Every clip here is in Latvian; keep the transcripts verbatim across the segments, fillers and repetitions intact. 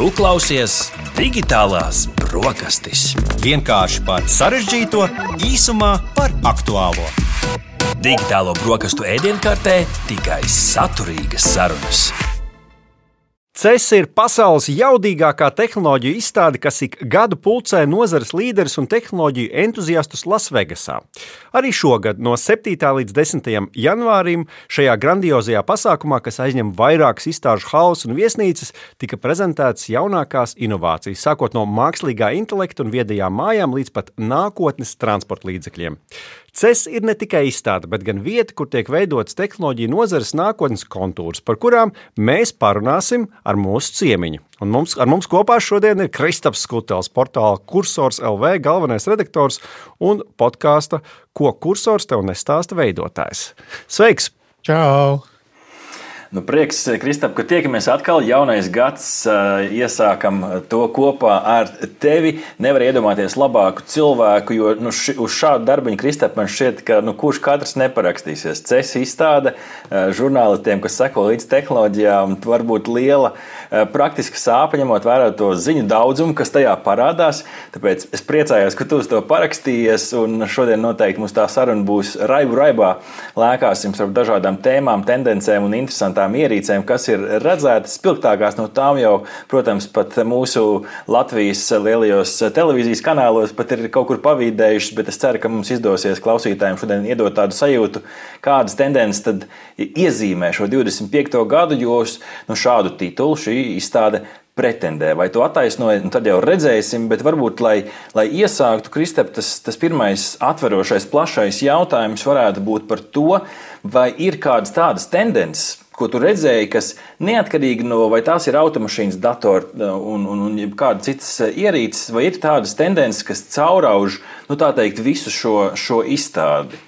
Tu klausies Digitālās brokastis. Vienkārši par sarežģīto, īsumā par aktuālo. Digitālo brokastu ēdienkartē tikai saturīgas sarunas. C E S ir pasaules jaudīgākā tehnoloģiju izstāde, kas ik gadu pulcē nozares līderus un tehnoloģiju entuziastus Lasvegasā. Arī šogad no septītā līdz desmitajam janvārim šajā grandiozajā pasākumā, kas aizņem vairākas izstāžu halles un viesnīcas, tika prezentētas jaunākās inovācijas, sākot no mākslīgā intelekta un viedajām mājām līdz pat nākotnes transporta līdzekļiem. C E S ir ne tikai izstāde, bet gan vieta, kur tiek veidotas tehnoloģiju nozares nākotnes kontūrs, par kurām mēs parunāsim ar mūsu ciemiņu. Un mums, ar mums kopā šodien ir Kristaps Skutels, portāla Kursors L V galvenais redaktors un podkāsta Ko kursors tev nestāsta veidotājs. Sveiks! Čau! Nu, prieks, Kristap, ka tiekamies atkal. Jaunais gads, iesākam to kopā ar tevi. Nevar iedomāties labāku cilvēku, jo nu, ši, uz šādu darbiņu, Kristap, man šķiet, ka nu, kurš katrs neparakstīsies. C E S izstāde žurnālistiem, kas seko līdz tehnoloģijām, varbūt liela praktiska sāpe, ņemot vērā to ziņu daudzumu, kas tajā parādās. Tāpēc es priecājos, ka tu uz to parakstījies, un šodien noteikti mums tā saruna būs raibu raibā. Lēkāsim starp dažādām tēmām, tendencēm un interesantām ierīcēm, kas ir redzētas. Spilgtākās no tām jau, protams, pat mūsu Latvijas lielajos televīzijas kanālos pat ir kaut kur pavīdējušas, bet es ceru, ka mums izdosies klausītājiem šodien iedot tādu sajūtu, kādas tendences tad iezīmē šo divdesmit piekto gadu, jo nu, šādu titulu šī izstāde pretendē. Vai to attaisnoja, nu, tad jau redzēsim, bet varbūt, lai, lai iesāktu, Kristap, tas, tas pirmais atverošais, plašais jautājums varētu būt par to, vai ir kādas tādas tendences, ko tu redzēji, kas neatkarīgi no, vai tās ir automašīnas, datori un, un, un kāda citas ierīces, vai ir tādas tendences, kas caurauž, nu tā teikt, visu šo, šo izstādi?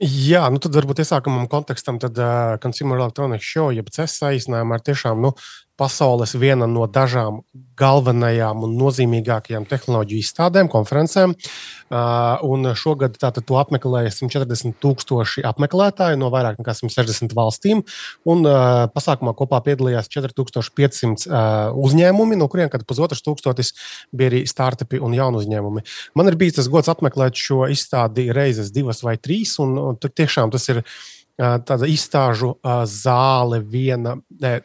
Jā, nu tad varbūt iesākumam kontekstam, tad uh, Consumer Electronics Show, jeb C E S saīsinājumā ir tiešām, nu, pasaules viena no dažām galvenajām un nozīmīgākajām tehnoloģiju izstādēm, konferencēm. Uh, un šogad tātad to apmeklēja simt četrdesmit tūkstoši apmeklētāji no vairāk nekā simt sešdesmit valstīm. Un uh, pasākumā kopā piedalījās četri tūkstoši pieci simti uh, uzņēmumi, no kuriem kad pusotrs tūkstotis bija arī startupi un jaunu uzņēmumi. Man ir bijis tas gods apmeklēt šo izstādi reizes divas vai trīs, un, un tiešām tas ir uh, tāda izstāžu uh, zāle viena. Ne,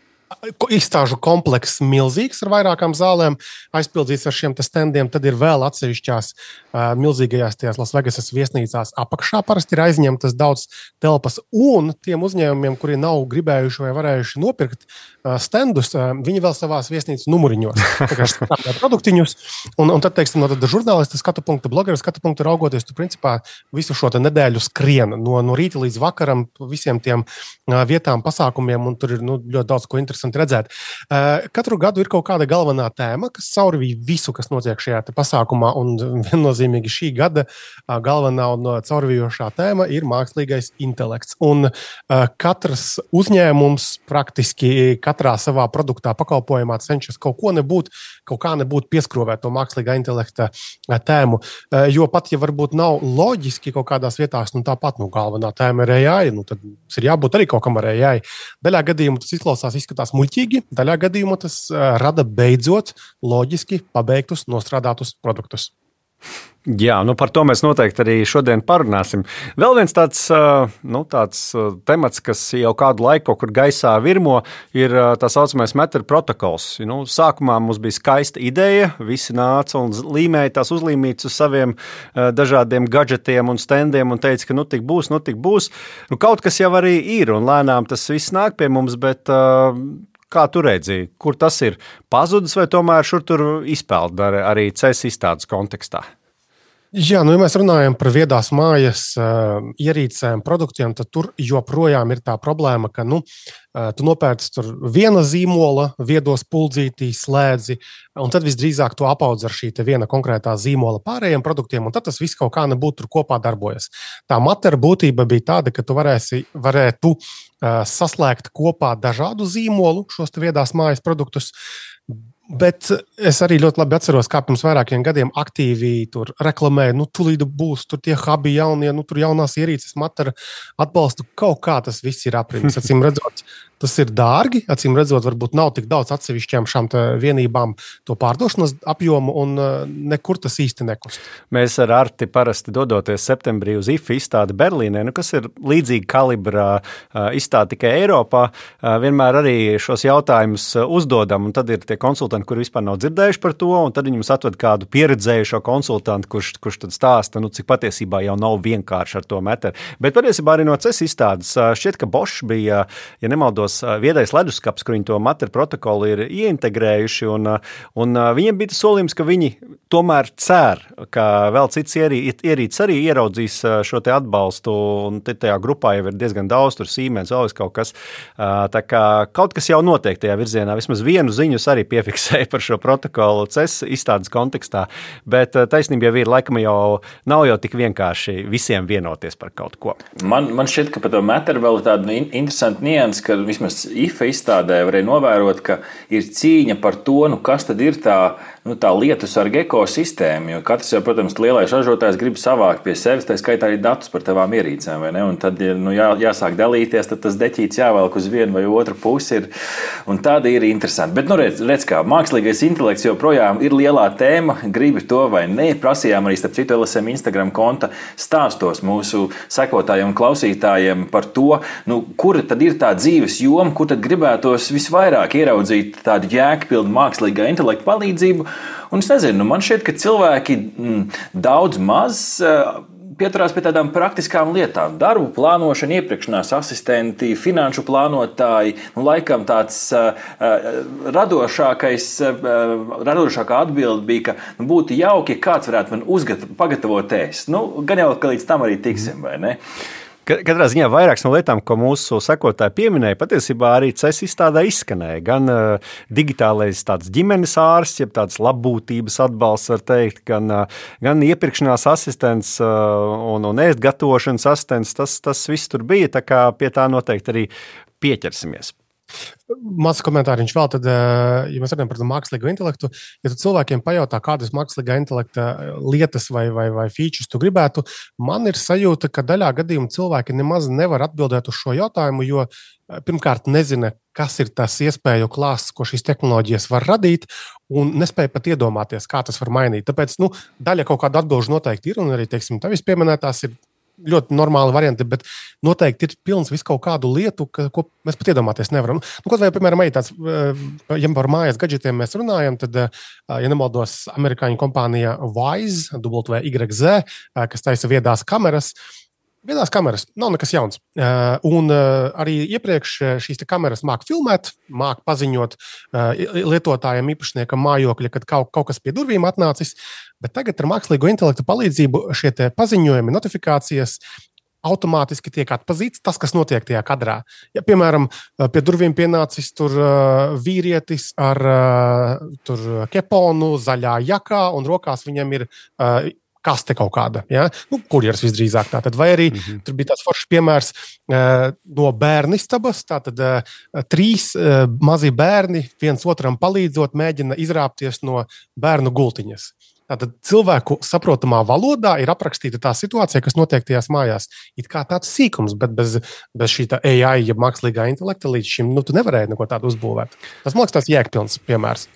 Izstāžu komplekss milzīgs ar vairākām zālēm, aizpildīts ar šiem standiem. Tad ir vēl atsevišķās uh, milzīgajās tajās Lasvegasas viesnīcās apakšā. Parasti ir aizņemtas daudz telpas. Un tiem uzņēmumiem, kuri nav gribējuši vai varējuši nopirkt uh, standus, uh, viņi vēl savās viesnīcas numuriņos. Tā kā strādā produktiņus. Un, un tad, teiksim, no tad žurnālista skatu punkta, blogeru skatu punkta raugoties, tu principā visu šo nedēļu skrien no, no rīta līdz vakaram visiem tiem uh, vietām, pasākumiem, un tur ir nu, ļoti daudz ko interesanti redzēt. Katru gadu ir kaut kāda galvenā tēma, kas caurvīja visu, kas notiek šajā pasākumā, un viennozīmīgi šī gada galvenā un caurvījošā tēma ir mākslīgais intelekts. Un katrs uzņēmums praktiski katrā savā produktā, pakalpojumā cenšas kaut ko nebūt, kaut kā nebūt pieskrovēt to mākslīgā intelekta tēmu, jo pat, ja varbūt nav loģiski kaut kādās vietās, nu tāpat, nu galvenā tēma ir A I, nu tad ir jābūt arī kaut kam ar A I. Daļā gadījumu tas izklausās, izskatās muļķīgi, daļā gadījumā tas uh, rada beidzot loģiski pabeigtus, nostrādātus produktus. Jā, nu par to mēs noteikti arī šodien parunāsim. Vēl viens tāds, uh, nu, tāds uh, temats, kas jau kādu laiku kaut kur gaisā virmo, ir uh, tā saucamais Matter protokols. Nu, sākumā mums bija skaista ideja, visi nāca un līmēja tās uzlīmītas uz saviem uh, dažādiem gadžetiem un standiem un teica, ka nu tik būs, nu tik būs. Nu, kaut kas jau arī ir un lēnām tas viss nāk pie mums, bet uh, kā tu redzi, kur tas ir pazudis vai tomēr šur tur izpeld arī C E S izstādes kontekstā? Jā, nu, ja mēs runājam par viedās mājas uh, ierīcēm, produktiem, tad tur joprojām ir tā problēma, ka nu, uh, tu nopērci tur viena zīmola, viedos puldzītī, slēdzi, un tad visdrīzāk to apaudz ar šī te viena konkrētā zīmola pārējiem produktiem, un tad tas viss kaut kā nebūtu tur kopā darbojas. Tā matera būtība bija tāda, ka tu varēsi, varētu uh, saslēgt kopā dažādu zīmolu, šos te viedās mājas produktus, Bet es arī ļoti labi atceros, kā pirms vairākiem gadiem aktīvi tur reklamēja, nu, tūlīt būs tur tie hubi jaunie, nu, tur jaunās ierīces, matara atbalstu. Kaut kā tas viss ir aprimis. Acīm redzot, tas ir dārgi. Acīm redzot, varbūt nav tik daudz atsevišķām šām vienībām to pārdošanas apjomu, un nekur tas īsti nekust. Mēs ar Arti parasti dodoties septembrī uz I F A izstādi Berlīnē, nu, kas ir līdzīga kalibra izstāde tikai Eiropā, vienmēr arī šos jautājumus uzdodam, un tad ir tie konsultanti, kuri vispār nav dzirdējuši par to, un tad viņi mums atved kādu pieredzējušo konsultantu, kurš, kurš tad stāsta, nu, cik patiesībā jau nav vienkārši ar to meteru. Bet patiesībā arī no C E S izstādes šķiet, ka Bosch bija, ja nemaldos, viedais leduskaps, kur viņi to materu protokolu ir ieintegrējuši, un, un viņiem bija tas solījums, ka viņi tomēr cer, ka vēl cits ierīces arī ieraudzīs šo te atbalstu, un te tajā grupā jau ir diezgan daudz, tur Siemens, vēl kaut kas. Tā kā kaut kas jau notiek tajā virzienā, vismaz vienu ziņus arī piefiksēja par šo protokolu C E S izstādes kontekstā, bet taisnība jau ir, laikam jau nav jau tik vienkārši visiem vienoties par kaut ko. Man, man šķiet, ka par to materu vēl ir tāda interesanta nianse, ka vismaz I F A izstādē varēja novērot, ka ir cīņa par to, nu, kas tad ir tā, nu, tā lietusarga ekosistēma, jo katrs jau, protams, lielais ražotājs grib savākt pie sevis, tā skaitā arī datus par tavām ierīcēm, vai ne? Un tad, ja nu, jā, jāsāk dalīties, tad tas deķīts jāvelk uz vienu vai otru pusi ir, un tāda ir interesanti. Bet, nu, redz, redz kā, mākslīgais intelekts joprojām ir lielā tēma, gribi to vai ne, prasījām arī starp citu L S M Instagram konta stāstos mūsu sekotājiem un klausītājiem par to, nu, kura tad ir tā dzīves joma, kur tad gribētos visvairāk ieraudzīt tādu jēgpilnu mākslīgā intelekta palīdzību. Un es nezinu, nu, man šķiet, ka cilvēki mm, daudz maz uh, pieturās pie tādām praktiskām lietām. Darbu plānošana, iepirkšanās asistenti, finanšu plānotāji, nu, laikam tāds uh, radošākais, uh, radošākā atbilde bija, ka nu, būtu jauki, ja kāds varētu man uzgat, pagatavot ēst. Nu, gan jau, ka līdz tam arī tiksim, vai ne? Katrā ziņā vairākas no lietām, ko mūsu sekotāji pieminēja, patiesībā arī C E S izstādē izskanēja. Gan uh, digitālais tāds ģimenes ārsts, jeb tāds labbūtības atbalsts, var teikt, gan, uh, gan iepirkšanās asistents uh, un, un ēst gatavošanas asistents. Tas, tas viss tur bija, tā kā pie tā noteikti arī pieķersimies. Mazs komentāriņš vēl, tad, ja mēs runājam par mākslīgo intelektu, ja tu cilvēkiem pajautā, kādas mākslīgā intelekta lietas vai, vai, vai features tu gribētu, man ir sajūta, ka daļā gadījumā cilvēki nemaz nevar atbildēt uz šo jautājumu, jo pirmkārt nezina, kas ir tas iespēju klāsts, ko šīs tehnoloģijas var radīt, un nespēja pat iedomāties, kā tas var mainīt. Tāpēc nu, daļa kaut kāda atbilžu noteikti ir, un arī, teiksim, tevis pieminētās ir ļoti normāli varianti, bet noteikti ir pilns visu kaut kādu lietu, ka, ko mēs pat iedomāties nevaram. Nu, kaut vai, piemēram, arī tāds, ja par mājas gadžetiem mēs runājam, tad, ja nemaldos, amerikāņu kompānija Wyze, W Y Z, kas taisa viedās kameras, Viedās kameras nav nekas jauns. Un arī iepriekš šīs kameras māk filmēt, māk paziņot lietotājiem, īpašniekam mājokļa, kad kaut, kaut kas pie durvīm atnācis. Bet tagad ar mākslīgo intelektu palīdzību šie notifikācijas, notifikācijas automātiski tiek atpazīts tas, kas notiek tajā kadrā. Ja, piemēram, pie durvīm pienācis tur vīrietis ar tur keponu, zaļā jakā, un rokās viņam ir kaste kaut kāda, ja? Nu, kurjers visdrīzāk tātad. Vai arī mm-hmm. tur bija tāds foršs piemērs uh, no bērnistabas, tātad uh, trīs uh, mazi bērni viens otram palīdzot mēģina izrāpties no bērnu gultiņas. Tātad cilvēku saprotamā valodā ir aprakstīta tā situācija, kas notiek tajās mājās. It kā tāds sīkums, bet bez, bez šī tā A I, ja mākslīgā intelekta līdz šim, nu, tu nevarēji neko tādu uzbūvēt. Tas, man liekas, tāds jēgpilns piemērs.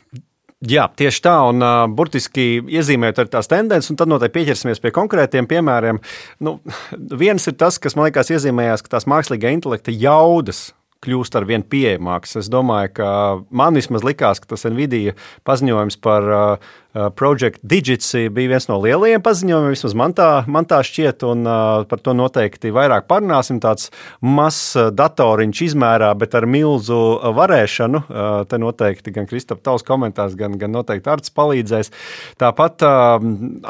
Jā, tieši tā, un uh, burtiski iezīmējot ar tās tendences, un tad noteikti pieķersimies pie konkrētiem piemēriem. Nu, viens ir tas, kas man liekas iezīmējās, ka tās mākslīgā intelekta jaudas kļūst ar vien pieejamāks. Es domāju, ka man vismaz likās, ka tas Nvidia paziņojums par uh, Project Digits bija viens no lielajiem paziņojumiem, vismaz man tā, man tā šķiet, un uh, par to noteikti vairāk parunāsim. Tāds mazs datoriņš izmērā, bet ar milzu varēšanu. Uh, te noteikti gan Kristap tavs komentārs, gan, gan noteikti Arts palīdzēs. Tāpat uh,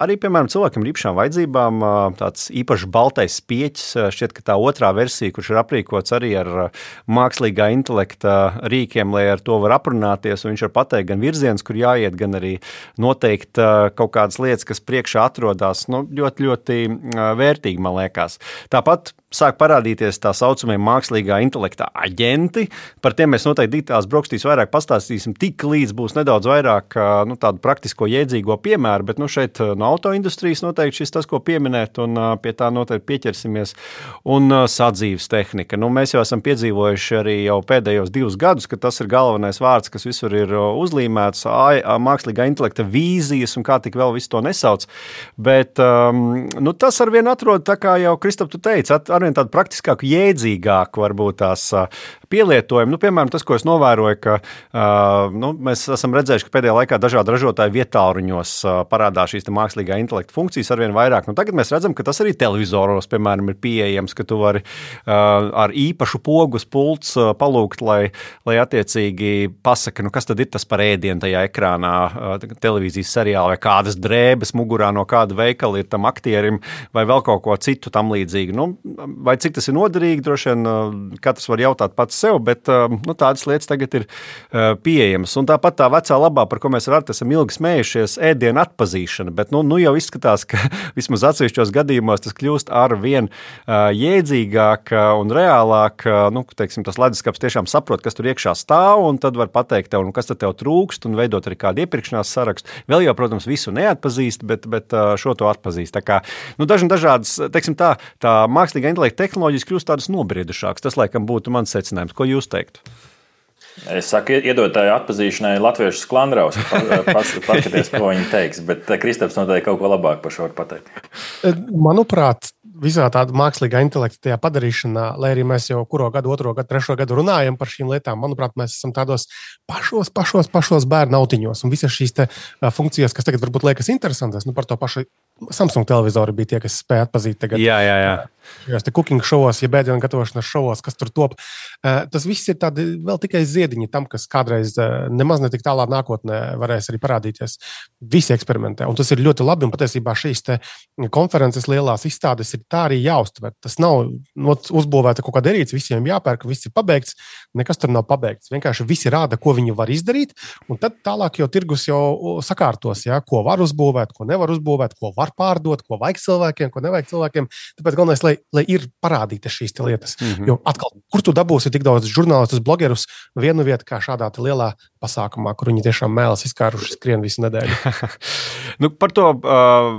arī, piemēram, cilvēkam ar īpašām vajadzībām uh, tāds īpašs baltais spieķis, uh, šķiet, ka tā otrā versija, kurš ir aprīkots arī ar uh, mākslīgā intelekta rīkiem, lai ar to var aprunāties, un viņš var pateikt gan virziens, kur jāiet, gan arī noteikti kaut kādas lietas, kas priekšā atrodas, nu, ļoti, ļoti vērtīgi, man liekas. Tāpat sāk parādīties tā saucamie mākslīgā intelekta aģenti. Par tiem mēs noteikti digitālās brokastīs vairāk pastāstīsim, tik līdz būs nedaudz vairāk nu, tādu praktisko jēdzīgo piemēru, bet nu, šeit no autoindustrijas noteikti šis tas, ko pieminēt, un pie tā noteikti pieķersimies. Un sadzīves tehnika. Nu, mēs jau esam piedzīvojuši arī jau pēdējos divus gadus, ka tas ir galvenais vārds, kas visur ir uzlīmēts, mākslīgā intelekta vīzijas un kā tik vēl visu to nesauc. Bet um, nu, tas arvien atrod, tā kā jau Kristap tu teici, arvien tādu praktiskāku, jēdzīgāku varbūt tās pielietojumu. Nu, piemēram, tas, ko es novēroju, ka uh, nu, mēs esam redzējuši, ka pēdējā laikā dažādi ražotāji vietāluņos uh, parādās šīs mākslīgā intelekta funkcijas arvien vairāk. Nu, tagad mēs redzam, ka tas arī televizoros, piemēram, ir pieejams, ka tu vari uh, ar īpašu pogus pults uh, palūgt, lai, lai attiecīgi pasaka, nu, kas tad ir tas par ēdienu tajā ekrānā, uh, televīzijas seriālā, vai kādas drēbes mugurā no kāda veikala ir tam aktierim, vai vēl kaut ko citu tam līdzīgu. Nu, vai cik tas ir noderīgi, droši vien uh, katrs var jautāt pats sev, bet uh, nu, tādas lietas tagad ir uh, pieejamas. Un tāpat tā vecā labā, par ko mēs ar Artu esam ilgi smējušies, ēdienu atpazīšana, bet nu, nu jau izskatās, ka vismaz atsevišķos gadījumos tas kļūst ar vien uh, jēdzīgāk un reālāk. Uh, nu, teiksim, tas leduskapis tiešām saprot, kas tur iekšā stāv, un tad var pateikt tev, nu, kas tad tev trūkst, un veidot arī kādu iepirkšanās sarakstu. Vēl jau, protams, visu neatpazīst, bet, bet uh, šo to atpazīst. Tā kā, nu, daži dažādas, teiksim tā, tā mākslīgā intelekta tehnoloģijas kļūst tādas nobriedušākas. Tas, laikam, būtu mans secinājums. Ko jūs teiktu? Es saku, iedotāju atpazīšanai latviešu sklandraus, paskaties, ko viņi teiks, bet Kristaps noteikti kaut ko labāk par šo var pateikt. Manuprāt, visā tāda mākslīgā intelekta tajā padarīšanā, lai arī mēs jau kuro gadu, otro gadu, trešo gadu runājam par šīm lietām, manuprāt, mēs esam tādos pašos, pašos, pašos bērnu autiņos. Un visas šīs te funkcijas, kas tagad varbūt liekas interesantas, nu par to pašu Samsung televizori bija tie, kas spēja atpazīt tagad. Jā, jā, jā. Šajos te cooking šovos, ja bēdienu gatavošanas šovos, kas tur top. Tas viss ir tādi vēl tikai ziediņi tam, kas kādreiz nemaz ne tik tālā nākotnē varēs arī parādīties. Visi eksperimentē. Un tas ir ļoti labi. Un patiesībā šīs te konferences lielās izstādes ir tā arī jāuztver. Tas nav uzbūvēta kaut kāda ierīce, visiem jāpērk, viss ir pabeigts. Nekas tur nav pabeigts. Vienkārši visi rāda, ko viņi var izdarīt. Un tad tālāk jau tirgus jau sakārtos, ja, ko var uzbūvēt, ko nevar uzbūvēt, ko var pārdot, ko vajag cilvēkiem, ko nevajag cilvēkiem. Tāpēc galvenais, lai, lai ir parādītas šīs lietas. Mm-hmm. Jo atkal, kur tu dabūsi tik daudz žurnālistus, blogerus vienu vietu kā šādā lielā pasākumā, kur viņi tiešām mēlas izkāruši skrien visu nedēļu. nu, par to uh,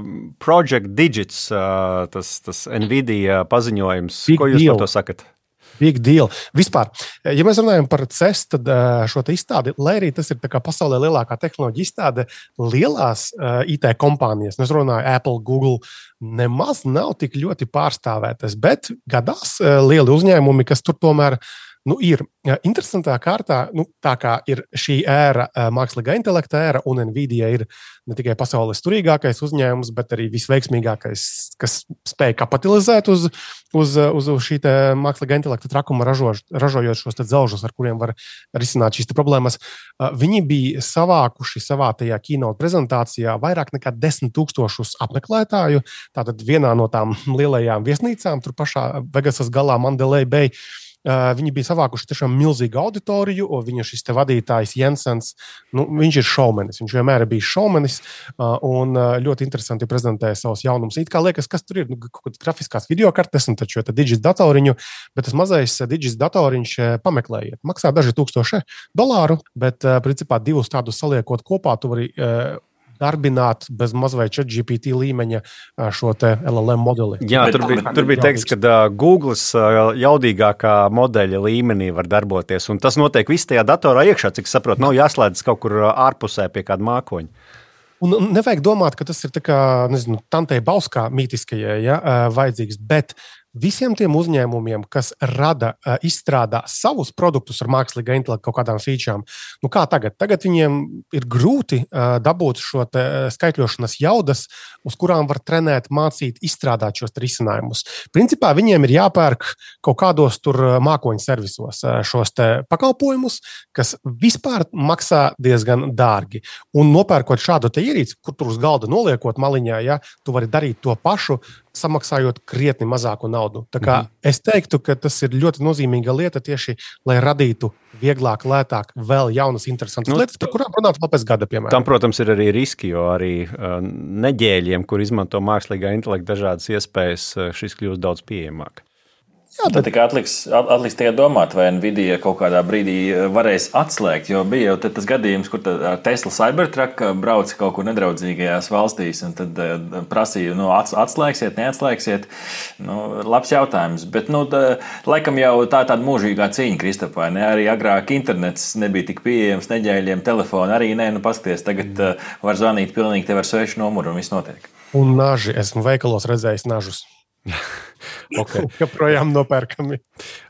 Project Digits, uh, tas, tas Nvidia paziņojums, Big ko jūs deal. Par to sakat? Big deal. Vispār, ja mēs runājam par C E S, tad šo te izstādi, lai arī tas ir tā kā pasaulē lielākā tehnoloģija izstāde, lielās uh, I T kompānijas, nu es runāju Apple, Google, nemaz nav tik ļoti pārstāvētas, bet gadās uh, lieli uzņēmumi, kas tur tomēr nu, ir interesantā kārtā, nu, tā kā ir šī ēra, mākslīgā intelekta ēra, un Nvidia ir ne tikai pasaules turīgākais uzņēmums, bet arī visveiksmīgākais, kas spēj kapitalizēt uz, uz, uz šī mākslīgā intelekta trakuma, ražož, ražojot šos dzelžus, ar kuriem var risināt šīs problēmas. Viņi bija savākuši savā tajā keynote prezentācijā vairāk nekā desmit tūkstošus apmeklētāju, tātad vienā no tām lielajām viesnīcām, tur pašā Vegasas galā Mandalay Bay. Uh, viņi bija savākuši tiešām milzīgu auditoriju, un viņa šis te vadītājs Jensens, nu, viņš ir šaumenis, viņš vienmēr ir bijis šaumenis, uh, un uh, ļoti interesanti prezentēja savus jaunumus. It kā liekas, kas tur ir, nu, kaut kādas grafiskās videokartes, un taču Digis datoriņu, bet tas mazais Digis datoriņš pameklējiet. Maksā daži tūkstoši dolāru, bet uh, principā divus tādus saliekot kopā, tu vari uh, darbināt bez mazvai ChatGPT līmeņa šo te L L M modeli. Jā, tur bija, tur bija teikts, ka uh, Googles uh, jaudīgākā modeļa līmenī var darboties, un tas notiek viss tajā datorā iekšā, cik saprot, nav jāslēdz kaut kur ārpusē pie kāda mākoņa. Un nevajag domāt, ka tas ir tā kā, nezinu, Tantei Bauskā mītiskajai, ja, vajadzīgs, bet visiem tiem uzņēmumiem, kas rada, izstrādā savus produktus ar mākslīgā intelekta kaut kādām featurām, nu kā tagad? Tagad viņiem ir grūti dabūt šo te skaitļošanas jaudas, uz kurām var trenēt, mācīt, izstrādāt šos risinājumus. Principā viņiem ir jāpērk kaut kādos tur mākoņu servisos šos te pakalpojumus, kas vispār maksā diezgan dārgi. Un nopērkot šādu te ierīci, kur tur uz galda noliekot maliņā, ja, tu vari darīt to pašu, samaksājot krietni mazāku naudu. Tā kā mm-hmm. es teiktu, ka tas ir ļoti nozīmīga lieta tieši, lai radītu vieglāk, lētāk, vēl jaunas, interesantas nu, lietas, par kurām runāt vēl pēc gada, piemēram. Tam, protams, ir arī riski, jo arī uh, neģēļiem, kur izmanto mākslīgā intelekta dažādas iespējas, uh, šis kļūst daudz pieejamāk. Jā, tad tikai atliks, atliks tikai domāt, vai Nvidia kaut kādā brīdī varēs atslēgt, jo bija jau tas gadījums, kur Tesla Cybertruck brauca kaut kur nedraudzīgajās valstīs, un tad prasīja, nu, atslēgsiet, neatslēgsiet. Nu, labs jautājums, bet, nu, tā, laikam jau tā tāda mūžīgā cīņa, Kristap, vai ne? Arī agrāk internets nebija tik pieejams, neģēļiem telefoni, arī nē, nu, paskaties, tagad var zvanīt pilnīgi tev ar svešu numuru un viss notiek. Un naži, esmu veikalos redzējis nažus. Okay. Joprojām nopērkami.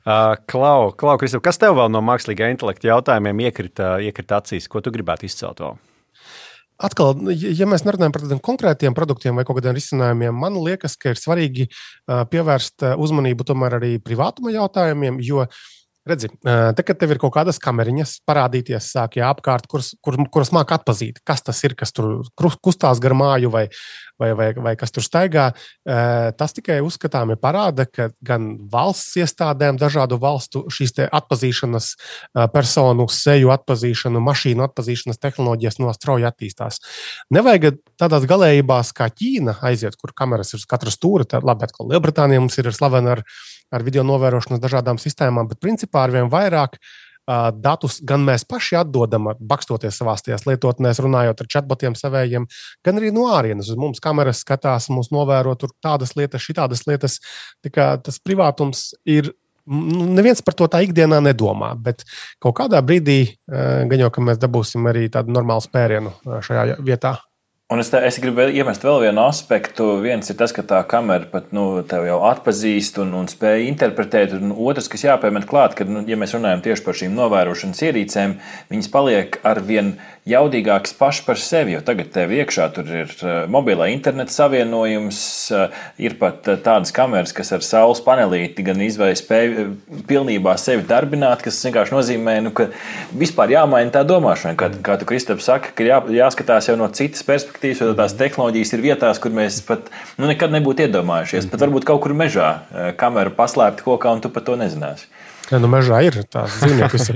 Uh, Klau, Klau Kristap, kas tev vēl no mākslīgā intelekta jautājumiem iekrita, iekrita acīs? Ko tu gribētu izcelt vēl? Atkal, ja mēs nerunājam par tādiem konkrētiem produktiem vai kaut kādiem risinājumiem, man liekas, ka ir svarīgi pievērst uzmanību tomēr arī privātuma jautājumiem, jo redzi, te, kad tev ir kaut kādas kameriņas parādīties, sāk jāapkārt, kuras, kur, kuras māk atpazīt, kas tas ir, kas tur kustās gar māju vai, vai, vai, vai kas tur staigā, tas tikai uzskatāmi parāda, ka gan valsts iestādēm, dažādu valstu šīs te atpazīšanas personu, seju atpazīšanu, mašīnu atpazīšanas tehnoloģijas no strauji attīstās. Nevajag tādās galējībās kā Ķīna aiziet, kur kameras ir uz katra stūra, tad labi, atkal Lielbritānija mums ir slavena ar ar video novērošanas dažādām sistēmām, bet principā arvien vairāk uh, datus gan mēs paši atdodam, bakstoties savās tajās lietotnēs, runājot ar chatbotiem savējiem, gan arī no ārienes. Uz mums kameras skatās, mums novēro tur tādas lietas, šitādas lietas. Tā kā tas privātums ir, neviens par to tā ikdienā nedomā, bet kaut kādā brīdī uh, gan jau, ka mēs dabūsim arī tādu normālu spērienu šajā vietā. Un es, te, es gribu iemest vēl vienu aspektu. Viens ir tas, ka tā kamera pat nu, tev jau atpazīst un, un spēj interpretēt. Un otrs, kas jāpiemet klāt, ka, nu, ja mēs runājam tieši par šīm novērošanas ierīcēm, viņas paliek arvien jaudīgākas paši par sevi. Jo tagad tev iekšā tur ir mobilā interneta savienojums, ir pat tādas kameras, kas ar saules panelīti gan izvēj spēj pilnībā sevi darbināt, kas vienkārši nozīmē, nu, ka vispār jāmaina tā domāšana. Kā, kā tu, Kristap, saka, ka jā, jāskatās jau no citas perspektīvas. Jo tās tehnoloģijas ir vietās, kur mēs pat nu, nekad nebūtu iedomājušies. Pat varbūt kaut kur mežā kamera paslēpta kokā, un tu par to nezināsi. Ja, nu mežā ir tās dzīvniekas.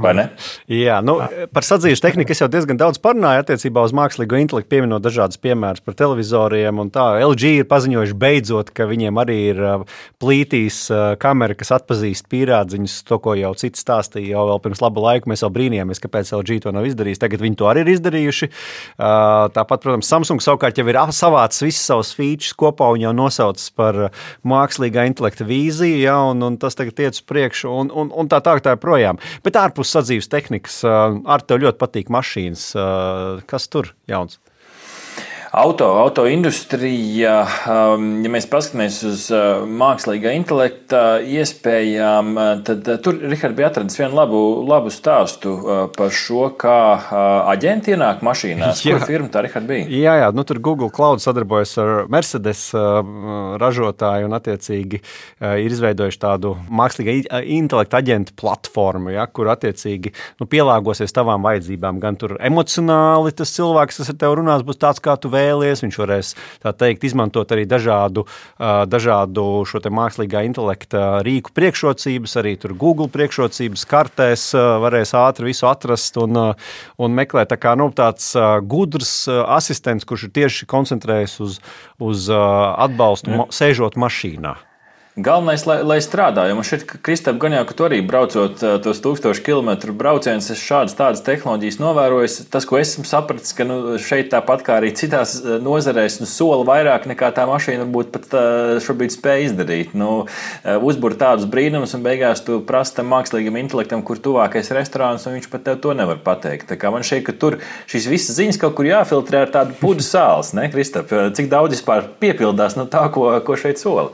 Vai ne? Jā, nu, par sadzīves tehniku es jau diezgan daudz parunāju attiecībā uz mākslīgo intelektu, pieminot dažādas piemērus par televizoriem. Un tā L G ir paziņojuši beidzot, ka viņiem arī ir plītīs kamera, kas atpazīst pīrādziņus, to, ko jau cits stāstīja jau vēl pirms laba laika. Mēs jau brīnījāmies, kāpēc L G to nav izdarījis. Tagad viņi to arī ir izdarījuši. Tāpat, protams, Samsung savukārt jau ir savācis visas savas features kopā un jau nosaucis par mākslīgā intelekta vīziju, ja, un, un tas tagad iet uz priekšu. Un, un, un tā tā, tā ir projām. Bet ārpus sadzīves tehnikas, ar tev ļoti patīk mašīnas. Kas tur jauns? Auto, auto industrija, ja mēs paskatāmies uz mākslīgā intelekta iespējām, tad tur, Rihard, bija atradis vienu labu, labu stāstu par šo, kā aģenti ienāk mašīnās. Kur firma tā, Rihard, bija? Jā, jā, nu tur Google Cloud sadarbojas ar Mercedes ražotāju un attiecīgi ir izveidojuši tādu mākslīgā intelekta aģentu platformu, ja, kur attiecīgi nu, pielāgosies tavām vajadzībām. Gan tur emocionāli tas cilvēks, kas ar tev runās, būs tāds, kā tu vēlies. Viņš varēs, tā teikt, izmantot arī dažādu, dažādu šo te mākslīgā intelekta rīku priekšrocības, arī tur Google priekšrocības kartēs varēs ātri visu atrast un, un meklēt. Tā kā nu, tāds gudrs asistents, kurš ir tieši koncentrējies uz, uz atbalstu, mm. sēžot mašīnā. Galvenais, lai, lai strādā, jo man šeit, Kristap, gan jau, ka tu arī braucot tos tūkstošu kilometru braucienus, es šādas tādas tehnoloģijas novērojos. Tas, ko esmu sapratis, ka nu, šeit tāpat kā arī citās nozarēs, nu, sola vairāk nekā tā mašīna varbūt pat šobrīd spēj izdarīt. Nu, uzbur tādus brīnumus un beigās tu prasi tam mākslīgam intelektam, kur tuvākais restorāns, un viņš pat tev to nevar pateikt. Tā kā man šeit, ka tur šīs visas ziņas kaut kur jāfiltrē ar tādu pudu sāls, ne, Kristap? Cik daudz vispār piepildās no tā, ko, ko šeit sola?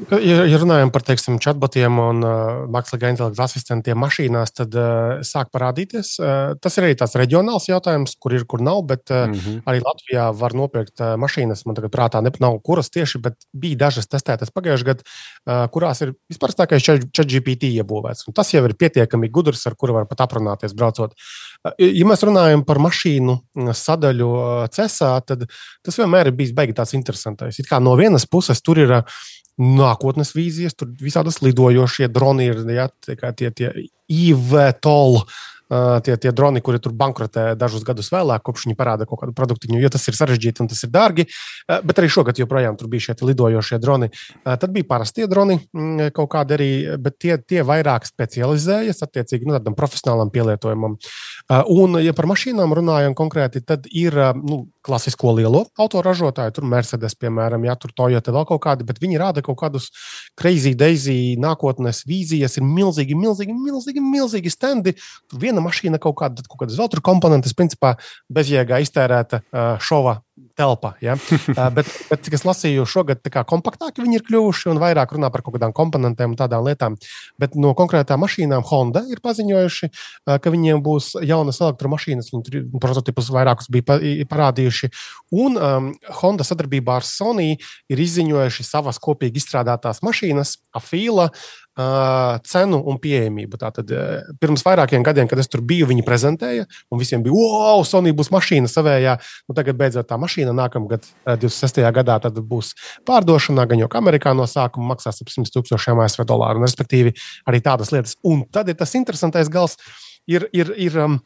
Ja, ja runājam par, teiksim, chatbotiem un uh, mākslīgā intelekta asistentiem mašīnās, tad uh, sāk parādīties. Uh, tas ir arī tāds reģionāls jautājums, kur ir, kur nav, bet uh, mm-hmm. arī Latvijā var nopirkt uh, mašīnas. Man tagad prātā ne, nav kuras tieši, bet bija dažas testētas pagājušajā gadā, uh, kurās ir vispārstākais ChatGPT iebūvēts. Un tas jau ir pietiekami gudrs, ar kuru var pat aprunāties braucot. Uh, ja mēs runājam par mašīnu sadaļu uh, cesā, tad tas vienmēr ir bijis baigi tāds interesantais. It kā no vienas puses tur ir uh, nākotnes vīzijas, tur visādas lidojošie droni ir, ja, tie, tie, tie I V TOL. Uh, tie, tie droni, kuri tur bankrotē dažus gadus vēlāk, kopš viņi parāda kaut kādu produktiņu, jo tas ir sarežģīti un tas ir dārgi. Uh, bet arī šogad joprojām tur bija šie lidojošie droni. Uh, tad bija parastie droni mm, kaut kādi arī, bet tie, tie vairāk specializējas attiecīgi nu, tādam profesionālam pielietojumam. Uh, un, ja par mašīnām runājam konkrēti, tad ir uh, nu, klasisko lielo autoražotāju, tur Mercedes, piemēram, jā, tur Toyota vēl kaut kādi, bet viņi rāda kaut kādus crazy daisy nākotnes vīzijas, ir milzīgi, milzīgi, milzīgi, milzīgi standi. Tur viena mašīna kaut kāda, kaut kādas vēl tur komponentes, principā bezjēgā iztērēta uh, šova telpa. Ja? uh, bet, bet, cik es lasīju, šogad tā kā kompaktāki viņi ir kļuvuši un vairāk runā par kaut kādām komponentēm un tādām lietām. Bet no konkrētām mašīnām Honda ir paziņojuši, uh, ka viņiem būs jaunas elektromašīnas, viņi tur prototipus vairākus bija parādījuši. Un um, Honda sadarbībā ar Sony ir izziņojuši savas kopīgi izstrādātās mašīnas, Afila, Uh, cenu un pieejamību. Tātad, uh, pirms vairākiem gadiem, kad es tur biju, viņi prezentēja, un visiem bija, wow, Sony būs mašīna savējā. Nu, tagad beidzot tā mašīna nākamgad, uh, divdesmit sestajā gadā, tad būs pārdošanā, gan jau Amerikā no sākuma maksās ap simt tūkstošiem A S V dolāru, un respektīvi arī tādas lietas. Un tad ir tas interesantais gals, ir, ir, ir um,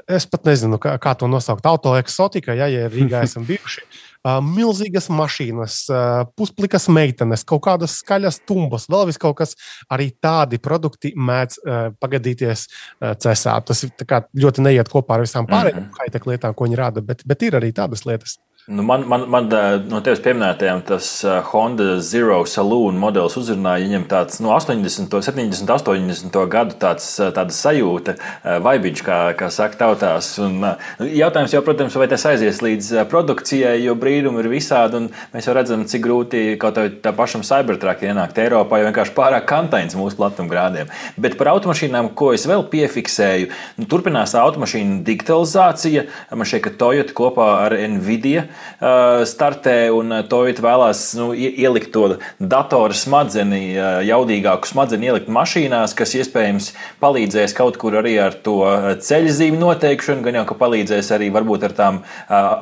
es pat nezinu, kā, kā to nosaukt, autoeksotika, ja, ja Rīgā esam bijuši. Uh, milzīgas mašīnas, uh, pusplikas meitenes, kaut kādas skaļas tumbas, vēl vis kaut kas, arī tādi produkti mēdz uh, pagadīties uh, cesā. Tas tā kā ļoti neiet kopā ar visām pārējām mm-hmm. high-tech lietām, ko viņi rāda, bet, bet ir arī tādas lietas. Nu man, man, man no tevis pieminētajām tas Honda Zero Saloon modelis uzrunāja, viņam tāds no astoņdesmito, septiņdesmito, astoņdesmito gadu tāds, tāda sajūta, vibiņš, kā, kā saka tautās. Un jautājums jau, protams, vai tas aizies līdz produkcijai, jo brīdumi ir visādi, un mēs jau redzam, cik grūti kaut vai tā pašam Cybertruck ienākt Eiropā, jo vienkārši pārāk kantains mūsu platumgrādiem. Bet par automašīnām, ko es vēl piefiksēju, nu, turpinās automašīnu digitalizācija. Man šķiet, ka Toyota kopā ar Nvidia startē, un Toyota vēlās nu, ielikt to datoru smadzeni, jaudīgāku smadzeni ielikt mašīnās, kas iespējams palīdzēs kaut kur arī ar to ceļzīmi noteikšanu, gan jau, ka palīdzēs arī varbūt ar tām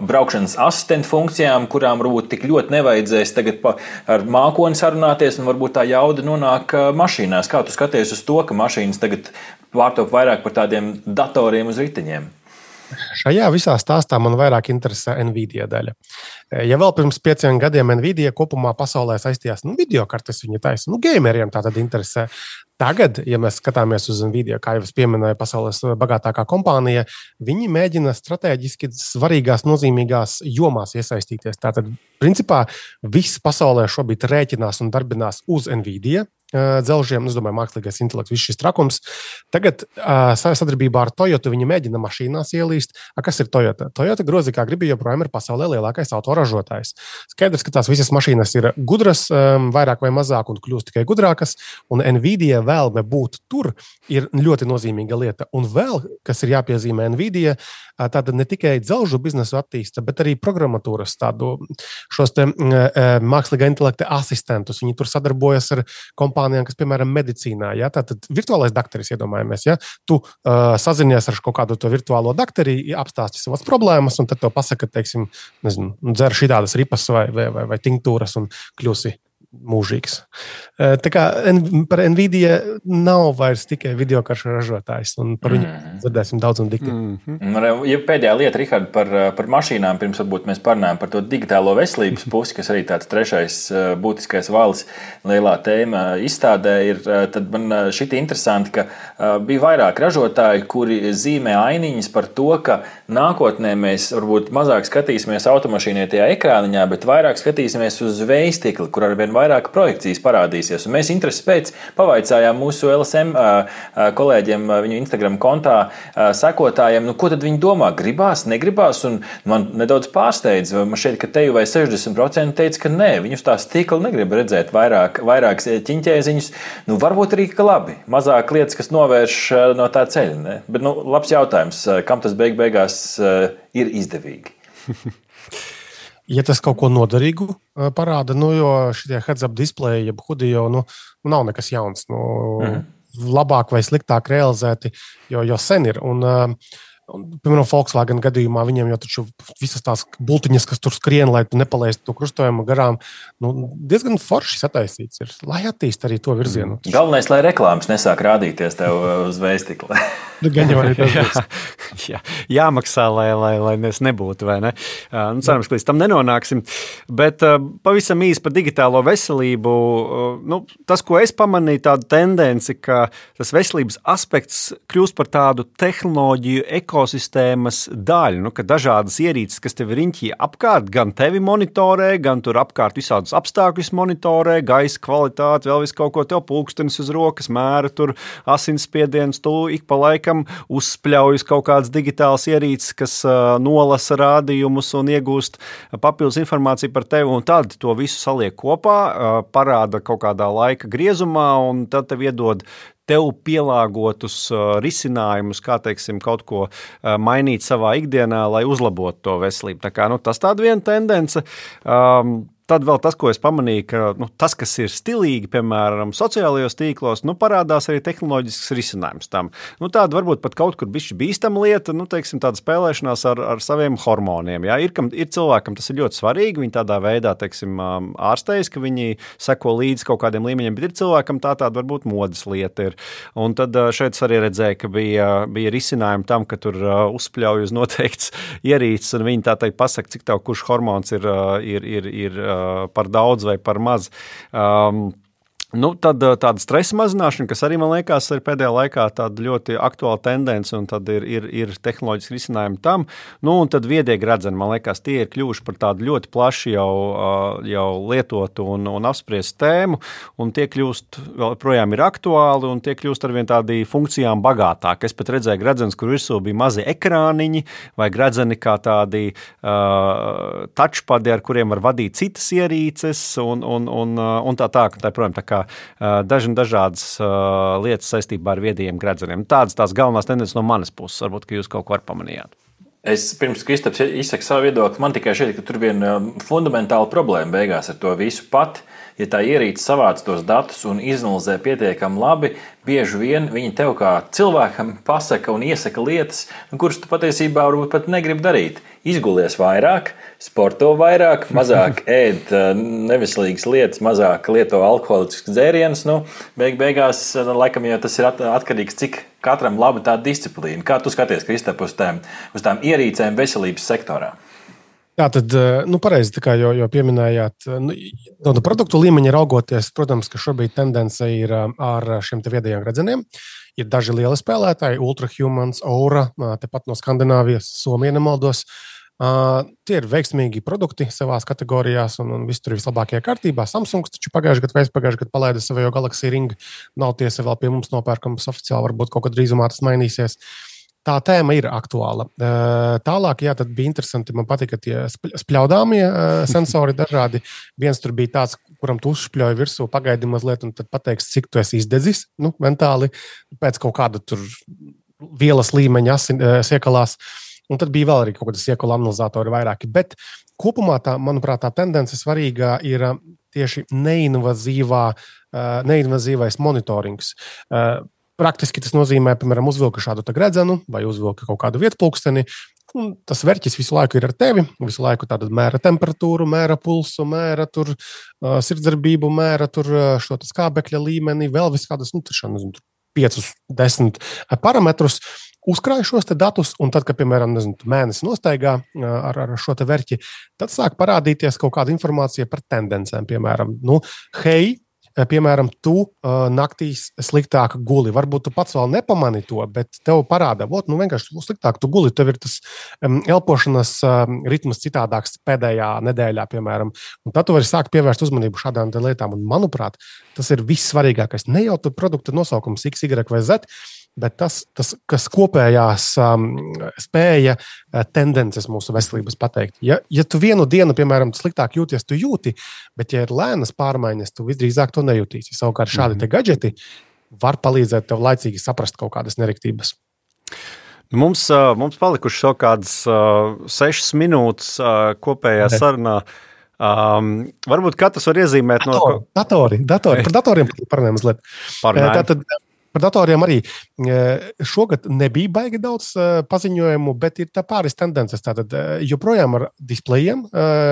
braukšanas asistentu funkcijām, kurām varbūt tik ļoti nevajadzēs tagad pa, ar mākoni sarunāties, un varbūt tā jauda nonāk mašīnās. Kā tu skaties uz to, ka mašīnas tagad pārtop vairāk par tādiem datoriem uz riteņiem? Šajā visā stāstā man vairāk interesē Nvidia daļa. Ja vēl pirms pieciem gadiem Nvidia kopumā pasaulē saistījās, nu, videokartes viņa taisa, nu, gameriem tā tad interesē. Tagad, ja mēs skatāmies uz Nvidia, kā jau es pieminēju, pasaules bagātākā kompānija, viņi mēģina strateģiski svarīgās, nozīmīgās jomās iesaistīties. Tātad, principā, viss pasaulē šobrīd rēķinās un darbinās uz Nvidia dzelžiem, es domāju, mākslīgais intelekts, viss šis trakums. Tagad sadarbībā ar Toyota viņi mēģina mašīnās ielīst. A, kas ir Toyota? Toyota grozi, kā gribi, joprojām ir pasaulē lielākais autoražotājs. Skaidrs, ka tās visas mašīnas ir gudras, vairāk vai mazāk, un kļūst tikai gudrākas, un Nvidia vēlme būt tur ir ļoti nozīmīga lieta. Un vēl, kas ir jāpiezīmē Nvidia, tāda ne tikai dzelžu biznesu attīsta, bet arī programmatūras tādu šos te mākslīgā intelekta asistentus. Viņi tur sadarbojas ar kompānijām, kas, piemēram, medicīnā. Ja? Tātad virtuālais dakteris, iedomājamies, ja? Tu uh, sazinies ar kaut kādu to virtuālo dakteri, apstāsti savas problēmas, un tad to pasaka, teiksim, nezinu, dzer šitādas ripas vai, vai, vai, vai tinktūras un kļūsi mūžīgs. Tā kā par Nvidia nav vairs tikai videokaršu ražotājs, un par viņu mm. dzirdēsim daudz un dikti. Mm-hmm. Ja pēdējā lieta, Rihard, par, par mašīnām, pirms varbūt mēs parunājam par to digitālo veselības pusi, kas arī tāds trešais būtiskais valis lielā tēma izstādē, ir, tad man šiti interesanti, ka bija vairāk ražotāji, kuri zīmē ainiņas par to, ka nākotnē mēs varbūt mazāk skatīsimies automašīnai tajā ekrāniņā, bet vairāk skatīsimies uz vējstikli, kur arvien vairāk projekcijas parādīsies. Un mēs interesi pēc pavaicājām mūsu L S M kolēģiem viņu Instagram kontā sekotājiem, nu, ko tad viņi domā? Gribās, negribās? Un man nedaudz pārsteidz. Man šķiet, ka te jau vai sešdesmit procenti teica, ka nē, viņus tā stikla negrib redzēt vairāk, vairākas ķiņķēziņus. Nu, varbūt arī, ka labi. Mazāk lietas, kas novērš no tā ceļa. Ne? Bet, nu, labs jautājums. Kam tas beig beigās ir izdevīgi? Ja tas kaut ko noderīgu parāda, nu, jo šitie heads-up displeji, jeb hudi jau nu, nav nekas jauns. Nu, mm. Labāk vai sliktāk realizēti, jo, jo sen ir. Un, Piemēram, Volkswagen gadījumā viņiem jau taču visas tās bultiņas, kas tur skrien, lai tu nepalaistu to krustojumu garām, nu, diezgan forši sataisīts ir, lai attīst arī to virzienu. Galvenais, lai reklāmas nesāk rādīties tev uz veistikla. Gan jau arī tas būs. Jā, jāmaksā, lai, lai, lai mēs nebūtu, vai ne? Nu, cerams, ka līdz tam nenonāksim. Bet pavisam īsi par digitālo veselību. Nu, tas, ko es pamanīju, tādu tendenci, ka tas veselības aspekts kļūst par tādu tehnoloģiju ekosistēmas daļu, nu, ka dažādas ierīces, kas tev riņķī apkārt, gan tevi monitorē, gan tur apkārt visādus apstākļus monitorē, gaisa kvalitāti, vēl visu kaut ko tev pulkstenis uz rokas, mēra tur asinsspiediens, tu ik pa laikam uzspļaujas kaut kādas digitālas ierīces, kas uh, nolasa rādījumus un iegūst papildus informāciju par tevi, un tad to visu saliek kopā, uh, parāda kaut kādā laika griezumā, un tad tev iedod tev pielāgotus uh, risinājumus, kā, teiksim, kaut ko uh, mainīt savā ikdienā, lai uzlabotu to veselību. Tā kā, nu, tas tāda viena tendence. Um, Tad vēl tas, ko es pamanīju, ka nu, tas, kas ir stilīgi, piemēram, sociālajos tīklos, nu, parādās arī tehnoloģisks risinājums tam. Nu, tāda varbūt pat kaut kur bišķi bīstama lieta, nu, teiksim, tāda spēlēšanās ar, ar saviem hormoniem. Jā. Ir, kam, ir cilvēkam tas ir ļoti svarīgi, viņi tādā veidā, teiksim, ārstējas, ka viņi seko līdzi kaut kādiem līmeņiem, bet ir cilvēkam tā tāda varbūt modas lieta ir. Un tad šeit arī redzēja, ka bija, bija risinājumi tam, ka tur uzspļauj uz noteikts ierīces, un viņi tā teikt pasaka, cik tev kurš hormons ir, ir, ir, ir par daudz vai par maz. Um, Nu, tad tāda stresa mazināšana, kas arī, man liekas, ir pēdējā laikā tāda ļoti aktuāla tendence, un tad ir, ir, ir tehnoloģiski risinājumi tam. Nu, un tad viedie gredzeni, man liekas, tie ir kļuvuši par tādu ļoti plaši jau, jau lietotu un, un apspriestu tēmu, un tie kļūst, vēl projām ir aktuāli, un tie kļūst arvien tādi funkcijām bagātāki. Es pat redzēju gredzenes, kur virsū bija mazi ekrāniņi, vai gredzeni kā tādi uh, touchpadi, ar kuriem var vadīt citas ierīces, un, un, un, un tā tā, tā, protams, tā kā daži dažādas uh, lietas saistībā ar viedajiem gredzeniem. Tādas tās galvenās tendences no manas puses, varbūt, ka jūs kaut ko ar pamanījāt. Es pirms Kristaps izsaka savu viedokli, man tikai šeit, ka tur viena fundamentāla problēma beigās ar to visu pat. Ja tā ierīce savāc tos datus un izanalizē pietiekami labi, bieži vien viņi tev kā cilvēkam pasaka un iesaka lietas, kuras tu patiesībā varbūt pat negribi darīt. Izgulies vairāk, sporto vairāk, mazāk ēd neveselīgas lietas, mazāk lieto alkoholiskas dzērienus. Nu, beig beigās, laikam, jau tas ir atkarīgs, cik katram laba tā disciplīna. Kā tu skaties, Kristap, uz tām, uz tām ierīcēm veselības sektorā? Jā, tad, nu, pareizi, tā kā jau, jau pieminējāt, nu, no produktu līmeņa raugoties, protams, ka šobrīd tendence ir ar šiem te viedajiem gredzeniem. Ir daži lieli spēlētāji, Ultrahumans, Aura, tepat no Skandināvijas, Somija nemaldos. Uh, tie ir veiksmīgi produkti savās kategorijās, un, un viss tur ir vislabākajā kārtībā. Samsungs taču pagājušajā gadā, pagājušajā gadā palaida savu Galaxy Ring. Nav tiesa vēl pie mums nopērkams oficiāli, varbūt kaut kad drīzumā tas mainīsies. Tā tēma ir aktuāla. Tālāk, jā, tad bija interesanti, man patika tie spļaudāmie sensori dažādi. Viens tur bija tāds, kuram tu uzšpļoji virsū, pagaidi mazliet, un tad pateiks, cik tu esi izdedzis, nu, mentāli, pēc kaut kāda tur vielas līmeņa siekalās. Un tad bija vēl arī kaut kādas siekala analizatori vairāki. Bet kopumā, tā, manuprāt, tā tendence svarīgā ir tieši neinvazīvā, neinvazīvais monitorings. Praktiski tas nozīmē, piemēram, uzvilka šādu gredzenu vai uzvilka kaut kādu vietpulksteni. Un tas verķis visu laiku ir ar tevi, visu laiku tāda mēra temperatūru, mēra pulsu, mēra tur uh, sirdsdarbību, mēra tur uh, šo skābekļa līmeni, vēl viskādas, nu, tašā, nezinu, piecus, desmit parametrus. Uzkrāj šos te datus, un tad, kad, piemēram, nezinu, mēnesi nostaigā ar, ar šo te verķi, tad sāk parādīties kaut kāda informācija par tendencēm, piemēram, nu, hei, piemēram, tu uh, naktīs sliktāk guli. Varbūt tu pats vēl nepamani to, bet tev parāda, ot, nu vienkārši sliktāk tu guli, tev ir tas um, elpošanas um, ritms citādāks pēdējā nedēļā, piemēram. Un tad tu vari sākt pievērst uzmanību šādām lietām. Un, manuprāt, tas ir vissvarīgākais. Ne jau tu produkta nosaukums X, Y vai Z, bet tas, tas kas kopējās um, spēja uh, tendences mūsu veselības pateikt. Ja, ja tu vienu dienu, piemēram, sliktāk jūties, tu jūti, bet ja ir lēnas pārmaiņas, tu visdrīzāk to nejūtīsi. Savukārt šādi te gadžeti var palīdzēt tev laicīgi saprast kaut kādas neriktības. Mums, mums palikuši vēl kādas sešas minūtes kopējā sarunā. Um, varbūt katrs var iezīmēt datori, no... Datori, datori. Par datoriem parunājam mazliet. Parunājam. Tātad, Par datoriem arī šogad nebija baigi daudz paziņojumu, bet ir tā pāris tendences. Tātad joprojām ar displejiem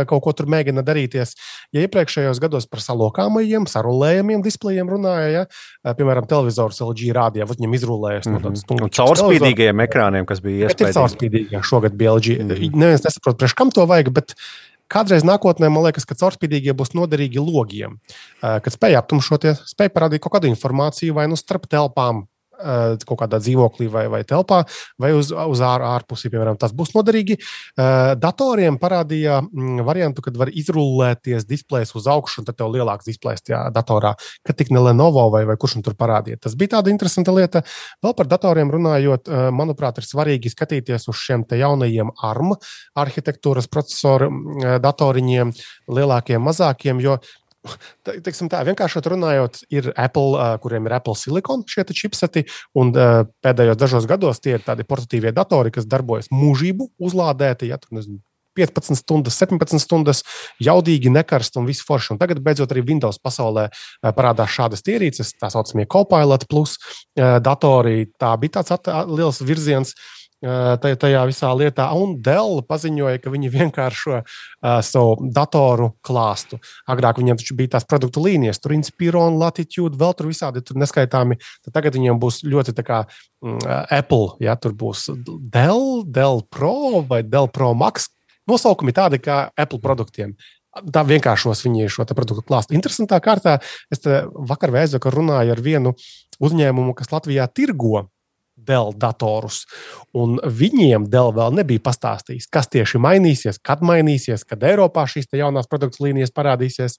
kaut ko tur mēģina darīties. Ja iepriekšējos gados par salokāmajiem, sarulējumiem displejiem runāja, ja, piemēram, televizors L G rādījā, viņam izrulējas no tādas un caurspīdīgajiem ekrāniem, kas bija iespējams. Bet ir caurspīdīgi, šogad bija L G. Mm-hmm. Neviens nesaprot, priekš kam to vajag, bet kādreiz nākotnē, man liekas, ka caurspīdīgie būs noderīgi logiem, kad spēj aptumšoties, spēj parādīt kaut kādu informāciju vai nu starp telpām, kaut kādā dzīvoklī vai, vai telpā, vai uz, uz ār, ārpusi, piemēram, tas būs noderīgi. Datoriem parādīja variantu, kad var izrullēties displejs uz augšu, un tad tev lielāks displejs tajā datorā, kad tik ne Lenovo vai, vai kurš un tur parādīja. Tas bija tāda interesanta lieta. Vēl par datoriem runājot, manuprāt, ir svarīgi skatīties uz šiem te jaunajiem A R M arhitektūras procesoru datoriņiem, lielākiem, mazākiem, jo teiksim tā, vienkāršot runājot, ir Apple, kuriem ir Apple Silicon šie čipseti, un pēdējos dažos gados tie ir tādi portatīvie datori, kas darbojas mūžību uzlādēti, ja tur nezinu, piecpadsmit stundas, septiņpadsmit stundas, jaudīgi, nekarst un visu forši. Un tagad beidzot arī Windows pasaulē parādās šādas ierīces, tā saucamie Copilot plus datori, tā bija tāds at- liels virziens tajā visā lietā, un Dell paziņoja, ka viņi vienkāršo uh, savu datoru klāstu. Agrāk viņiem taču bija tās produktu līnijas, tur Inspiron, Latitude, vēl tur visādi tur neskaitāmi, tad tagad viņiem būs ļoti tā kā mm, Apple, ja, tur būs Dell, Dell Pro vai Dell Pro Max, nosaukumi tādi kā Apple produktiem. Tā vienkāršos viņi šo produktu klāstu. Interesantā kārtā, es te vakar vēzvakar runāju ar vienu uzņēmumu, kas Latvijā tirgo Dell datorus, un viņiem Dell vēl nebija pastāstījis, kas tieši mainīsies, kad mainīsies, kad Eiropā šīs te jaunās produktu līnijas parādīsies.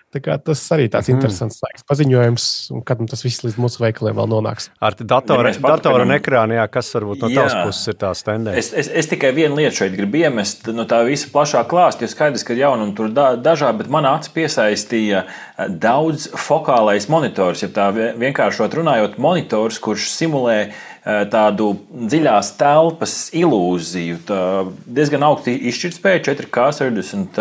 Tā kā tas arī tāds mm. interesants laiks paziņojums, un kad tas viss līdz mūsu veikaliem vēl nonāks. Ar datora, ja datora un ekrānu, jā, kas varbūt no tavas puses ir tās tendences? Es, es, es tikai vienu lietu šeit gribu iemest no tā visa plašā klāsta, jo skaidrs, ka jauna un tur da, dažā, bet man acis piesaistīja daudz fokālais monitors, ja tā vienkāršot runājot, monitors, kurš simulē tādu dziļās telpas ilūziju, tā diezgan augsti izšķirtspēja, četri K sešdesmit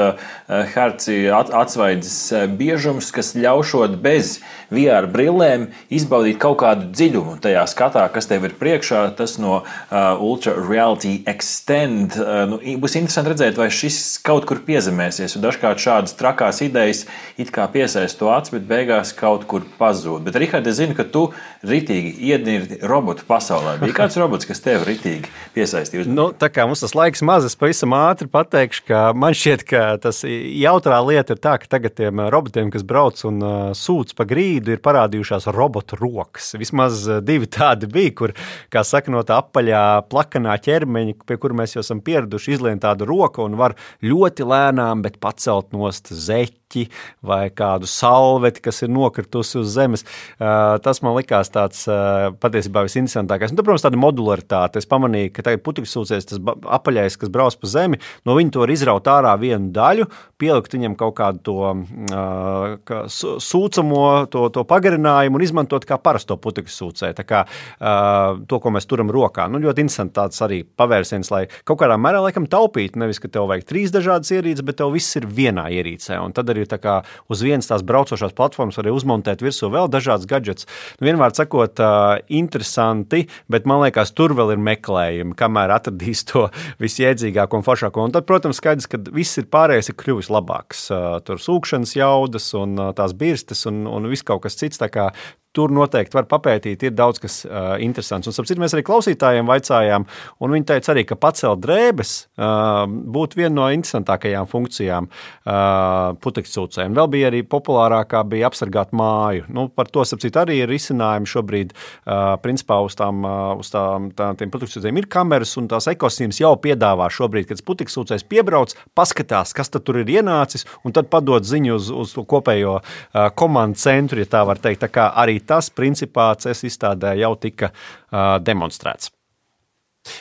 herci atsvaidzes biežums, kas ļaušot bez V R brillēm izbaudīt kaut kādu dziļumu tajā skatā, kas tev ir priekšā, tas no uh, Ultra Reality Extend. Uh, nu, būs interesanti redzēt, vai šis kaut kur piezemēsies, un dažkārt šādas trakās idejas it kā piesaist to acis, bet beigās kaut kur pazūd. Bet, Rihard, es zinu, ka tu ritīgi iednirdi robotu pasaulē. Bija kāds robots, kas tev ritīgi piesaistīja? Nu, tā kā mums tas laiks maz, es pavisam ātri pateikšu, ka man šķiet, ka tas jautrā lieta ir tā, ka tagad tiem robotiem, kas brauc un uh, sūc pa grīdu, ir parādījušās robotu rokas. Vismaz divi tādi bija, kur, kā saka, no tā apaļā plakanā ķermeņa, pie kura mēs jau esam pieraduši, izlien tādu roku un var ļoti lēnām, bet pacelt nost zeķi vai kādu salveti, kas ir nokritusi uz zemes. Uh, tas man likās tāds uh, patiesībā visinteresantākais. Un, tad, protams, tāda modularitāte. Es pamanīju, ka tagad putekļsūcējs, tas apaļais, kas brauc pa zemi, no viņa to var izraut ārā vienu daļu, pielikt viņam kaut kādu to uh, sūcamo, to, to pagarinājumu un izmantot kā parasto putekļsūcēju. Tā kā uh, to, ko mēs turam rokā. Nu, ļoti interesanti tāds arī pavērsiens, lai kaut kādā mērā laikam taupītu, nevis, ka tev vajag trīs dažādas ierīces, bet tev viss ir vienā ierīcē. Un tad arī tā kā uz vienas tās braucošās platformas var uzmontēt virsū vēl dažādas gadžets. Nu, vienmēr sakot, uh, interesanti, bet man liekas, tur vēl ir meklējumi, kamēr atradīs to visjēdzīgāko un foršāko. Un tad, protams, skaidrs, ka viss ir pārējais ir kļuvis labāks. Uh, tur sūkšanas jaudas un uh, tās birstes un, un viss kaut kas cits, tā kā tur noteikti var papētīt, ir daudz kas uh, interesants. Un, sapcīt, mēs arī klausītājiem vaicājām, un viņi teica arī, ka pacelt drēbes uh, būtu viena no interesantākajām funkcijām uh, putekļsūcējiem. Vēl bija arī populārākā bija apsargāt māju. Nu, par to, sapcīt, arī ir risinājumi šobrīd. Uh, principā uz tām, uh, uz tām, tā, tiem putekļsūcējiem ir kameras, un tās ekosistēmas jau piedāvā šobrīd, kad putekļsūcējs piebrauc, paskatās, kas tad tur ir ienācis, un tad padod ziņu uz, uz kopējo uh, komandu centru, ja tā var teikt. Tā kā arī tas, principā, C E S izstādē jau tika uh, demonstrēts.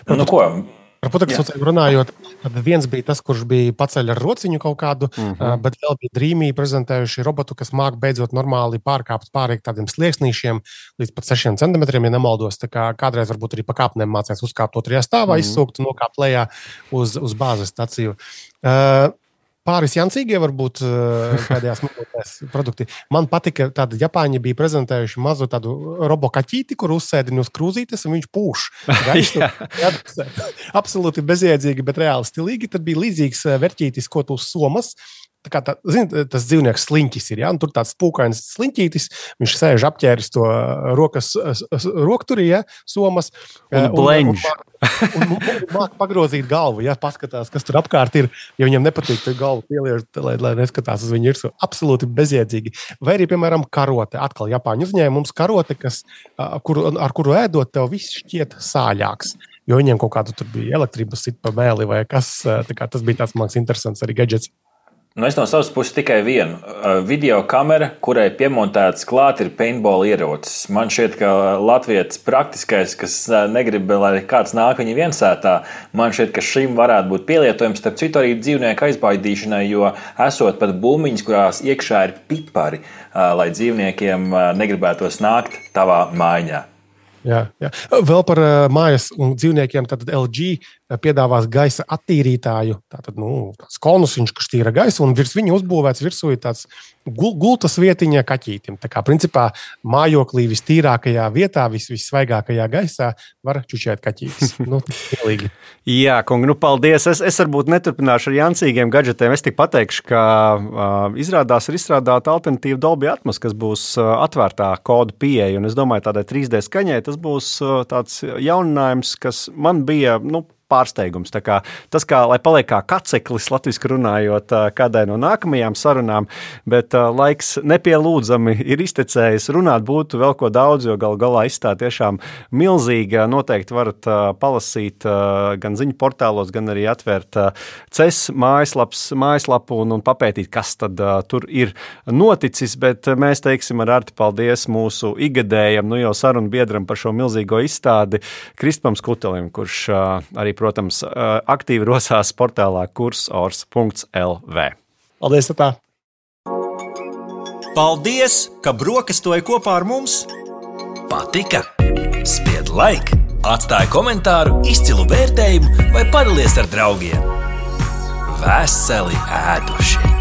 Nu, ko? Par putekļsūcējiem runājot, tad viens bija tas, kurš bija paceļ ar rociņu kaut kādu, mm-hmm. uh, bet vēl bija Dreamy prezentējuši robotu, kas māk beidzot normāli pārkāpt pāri tādiem slieksnīšiem līdz pat sešiem centimetriem, ja nemaldos. Tā kā kādreiz varbūt arī pa kāpnēm mācēs uzkāpt otrajā stāvā, mm-hmm. izsūkt un nokāpt lejā uz, uz bāzes staciju. Uh, pāris jancīgie varbūt pēdējās minūtēs produkti. Man patika, tāda Japāņi bija prezentējuši mazu tādu robokaķīti, kur uzsēdini uz krūzītes, un viņš pūš. Gaistu, absolūti bezjēdzīgi, bet reāli stilīgi. Tad bija līdzīgs verķītis, ko tu uz somas. Tā kā tā, zin, tas dzīvnieks sliņķis ir, ja? Un tur tāds pūkains sliņķītis, viņš sēž apķēris to rokas, rokturī, ja? Somas. Un bleņš. Un, un, un māk pagrozīt galvu, ja? Paskatās, kas tur apkārt ir, ja viņam nepatīk, tad galvu pieliež, lai, lai neskatās uz viņu ir absolūti bezjēdzīgi. Vai arī, piemēram, karote. Atkal Japāņu uzņēmums karote, kas, kur, ar kuru ēdot, tev viss šķiet sāļāks. Jo viņiem kaut kādu tur bija elektrības sit pa mēli vai kas, tā kā tas bija tāds māks interesants arī gadgets. Nu, es no savas puses tikai vienu. Video kamera, kurai piemontēts klāt ir paintball ierocis. Man šķiet, ka latvietis praktiskais, kas negrib, lai kāds nāk viņa viensētā, man šķiet, ka šim varētu būt pielietojums, starp citu arī dzīvnieku aizbaidīšanai, jo esot pat bumbiņas, kurās iekšā ir pipari, lai dzīvniekiem negribētos nākt tavā mājā. Jā, jā. Vēl par uh, mājas un dzīvniekiem, tad L G piedāvās gaisa attīrītāju, tātad, nu, tāds konusiņš, kas tīra gaisu, un virs viņa uzbūvēts virsū ir tāds gul, gultas vietiņa kaķītim. Tā kā, principā, mājoklī vistīrākajā vietā, vis, vissvaigākajā gaisā var čučēt kaķītis. Nu, pilīgi. Jā, kungi, nu, paldies. Es, es varbūt neturpināšu ar jancīgiem gadžetiem. Es tik pateikšu, ka uh, izrādās ir izstrādāta alternatīva Dolby Atmos, kas būs uh, atvērtā kodu pieeja, un es domāju, tādai trīs D skaņai tas būs uh, tāds jauninājums, kas man bija, nu, pārsteigums. Tā kā, tas, kā, lai paliek kā kaceklis, latviski runājot, kādai no nākamajām sarunām, bet uh, laiks nepielūdzami ir iztecējis. Runāt būtu vēl ko daudz, jo galu galā izstāda tiešām milzīga. Noteikti varat uh, palasīt uh, gan ziņu portālos, gan arī atvērt uh, C E S mājaslaps, mājaslapu un, un papētīt, kas tad uh, tur ir noticis, bet mēs teiksim ar Arti paldies mūsu igadējam, nu jau sarunu biedram par šo milzīgo izstādi Kristupam Skutelim, kurš uh, arī protams, aktīvi rosās portālā kursors punkts L V. Paldies, tā! Paldies, ka brokastoji kopā ar mums! Patika? Spied like, atstāj komentāru, izcilu vērtējumu vai padalies ar draugiem. Veseli ēduši!